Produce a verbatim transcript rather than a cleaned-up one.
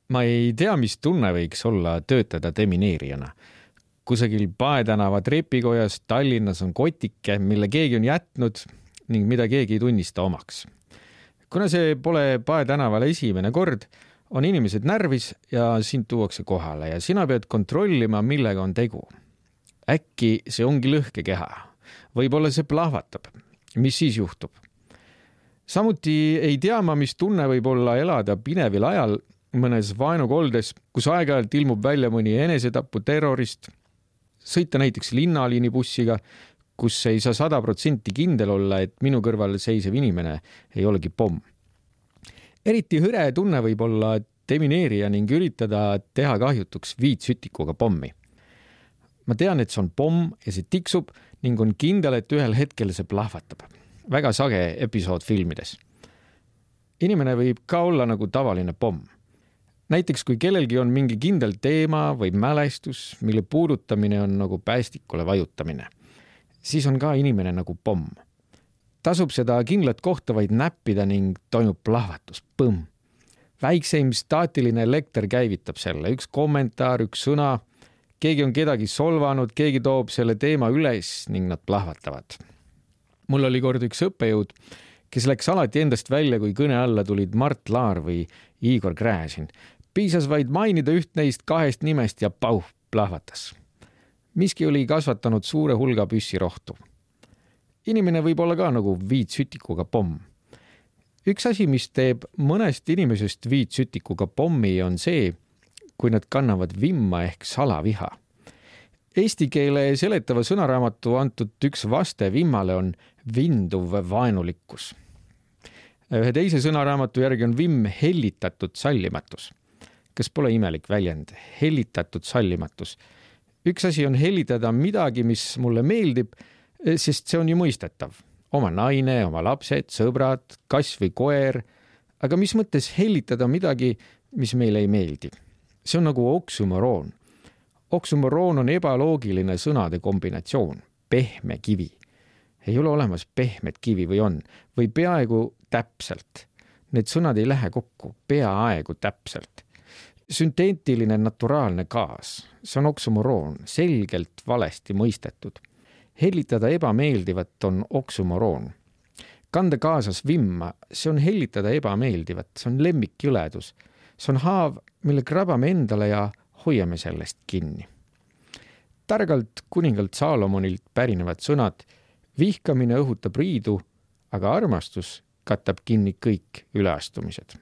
Ma ei tea, mis tunne võiks olla töötada demineerijana. Kusagil Paetänava trepikojas Tallinnas on kotike, mille keegi on jätnud ning mida keegi ei tunnista omaks. Kuna see pole Paetänaval esimene kord, on inimesed närvis ja sind tuuakse kohale ja sina pead kontrollima, millega on tegu. Äkki see ongi lõhkekeha. Võib-olla see plahvatab. Mis siis juhtub? Samuti ei tea ma, mis tunne võib olla elada pinevil ajal mõnes vaenukoldes, kus aeg-ajalt ilmub välja mõni enesetapu terrorist, sõita näiteks linnaliinibussiga, kus ei saa sada protsenti kindel olla, et minu kõrval seisev inimene ei olegi pomm. Eriti hõre tunne võib olla demineerija ning üritada teha kahjutuks viitsütikuga pommi. Ma tean, et see on pomm ja see tiksub ning on kindel, et ühel hetkel see plahvatab. Väga sage episood filmides. Inimene võib ka olla nagu tavaline pomm. Näiteks kui kellelgi on mingi kindel teema või mälestus, mille puudutamine on nagu päästikule vajutamine, siis on ka inimene nagu pomm. Tasub seda kindlat kohta vaid näppida ning toimub plahvatus. Põmm. Väikseim staatiline elekter käivitab selle. Üks kommentaar, üks sõna. Keegi on kedagi solvanud, keegi toob selle teema üles ning nad plahvatavad. Mul oli kord üks õppejõud, kes läks alati endast välja, kui kõne alla tulid Mart Laar või Igor Gräzin. Piisas vaid mainida üht neist kahest nimest ja pauh, plahvatas. Miski oli kasvatanud suure hulga püssirohtu. Inimene võib olla ka nagu viitsütikuga pomm. Üks asi, mis teeb mõnest inimesest viitsütikuga pommi, on see, kui nad kannavad vimma ehk salaviha. Eesti keele seletava sõnaraamatu antud üks vaste vimmale on vinduv vaenulikkus. Ühe teise sõnaraamatu järgi on vimm hellitatud sallimatus. Kas pole imelik väljend? Hellitatud sallimatus. Üks asi on hellitada midagi, mis mulle meeldib, sest see on ju mõistetav. Oma naine, oma lapsed, sõbrad, kass või koer. Aga mis mõttes hellitada midagi, mis meile ei meeldi? See on nagu oksümoroon. Oksümoroon on ebaloogiline sõnade kombinatsioon. Pehme kivi. Ei ole olemas pehmet kivi või on, või peaaegu täpselt. Need sõnad ei lähe kokku, peaaegu täpselt. Synteetiline naturaalne gaas. See on oksümoroon, selgelt valesti mõistetud. Hellitada ebameeldivat on oksümoroon. Kanda kaasas vimma, see on hellitada ebameeldivat, see on lemmikjõledus. See on haav, mille krabame endale ja hoiame sellest kinni. Targalt kuningalt Saalomonilt pärinevad sõnad, vihkamine õhutab riidu, aga armastus katab kinni kõik üleastumised.